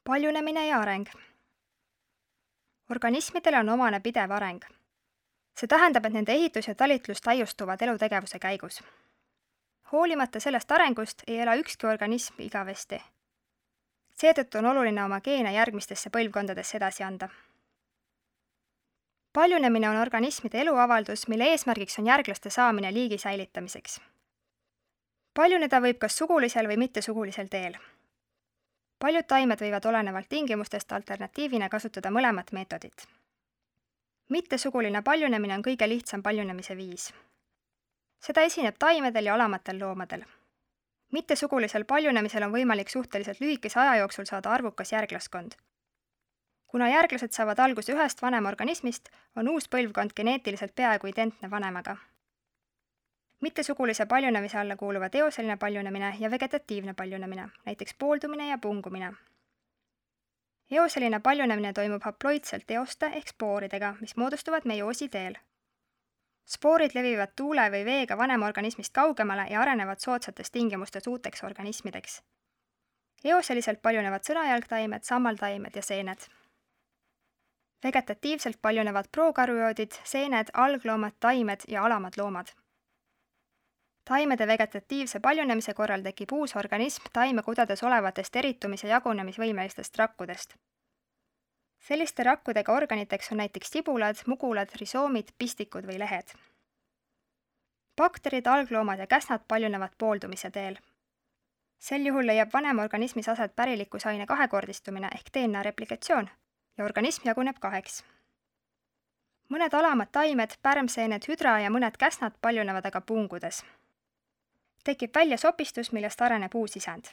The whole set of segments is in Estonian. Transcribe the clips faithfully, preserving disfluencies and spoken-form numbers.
Paljunemine ja areng. Organismidele on omane pidev areng. See tähendab, et nende ehitus ja talitlus täiustuvad elutegevuse käigus. Hoolimata sellest arengust ei ela ükski organism igavesti. Seetõttu on oluline oma geene järgmistesse põlvkondadesse edasi anda. Paljunemine on organismide eluavaldus, mille eesmärgiks on järglaste saamine liigi säilitamiseks. Paljuneda võib kas sugulisel või mittesugulisel teel. Paljud taimed võivad olenevalt tingimustest alternatiivina kasutada mõlemat meetodit. Mittesuguline paljunemine on kõige lihtsam paljunemise viis. Seda esineb taimedel ja alamatel loomadel. Mittesugulisel paljunemisel on võimalik suhteliselt lühikese aja jooksul saada arvukas järglaskond. Kuna järglased saavad alguse ühest vanemorganismist, on uus põlvkond geneetiliselt peaaegu identne vanemaga. Mittesugulise paljunemise alla kuuluvad eoseline paljunemine ja vegetatiivne paljunemine, näiteks pooldumine ja pungumine. Eoseline paljunemine toimub haploidselt eoste ehk spooridega, mis moodustuvad meioosi teel. Spoorid levivad tuule või veega vanemorganismist kaugemale ja arenevad soodsates tingimustes uuteks organismideks. Eoseliselt paljunevad sõnajalgtaimed, sammaltaimed ja seened. Vegetatiivselt paljunevad prokarüoodid, seened, algloomad, taimed ja alamad loomad. Taimede vegetatiivse paljunemise korral tekib uus organism taime kudades olevatest eritumis- ja jagunemisvõimelistest rakkudest. Selliste rakkudega organiteks on näiteks tibulad, mugulad, risoomid, pistikud või lehed. Bakterid, algloomad ja käsnad paljunevad pooldumise teel. Sel juhul leiab vanemorganismis aset pärilikkusaine kahekordistumine ehk D N A replikatsioon ja organism jaguneb kaheks. Mõned alamad taimed, pärmseened, hüdra ja mõned käsnad paljunevad aga pungudes. Tekib välja sopistus, millest areneb uus isend.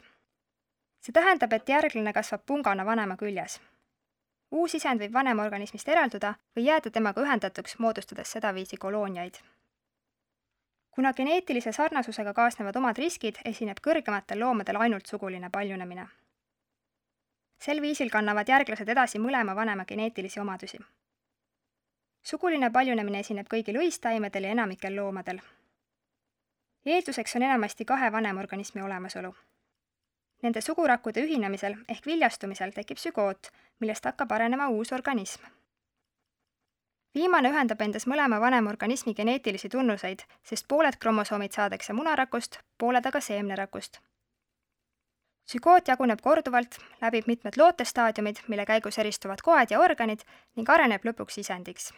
See tähendab, et järglane kasvab pungana vanema küljes. Uus isend võib vanemorganismist eralduda või jääda temaga ühendatuks, moodustades sedaviisi kolooniaid. Kuna geneetilise sarnasusega kaasnevad omad riskid, esineb kõrgematel loomadel ainult suguline paljunemine. Sel viisil kannavad järglased edasi mõlema vanema geneetilisi omadusi. Suguline paljunemine esineb kõigil õistaimedel ja enamikel loomadel. Eelduseks on enamasti kahe vanemorganismi olemasolu. Nende sugurakkude ühinemisel ehk viljastumisel tekib sügoot, millest hakkab arenema uus organism. Viimane ühendab endas mõlema vanemorganismi geneetilisi tunnuseid, sest pooled kromosoomid saadakse munarakust, pooled aga seemnerakust. Sügoot jaguneb korduvalt, läbib mitmed lootestaadiumid, mille käigus eristuvad koed ja organid ning areneb lõpuks isendiks.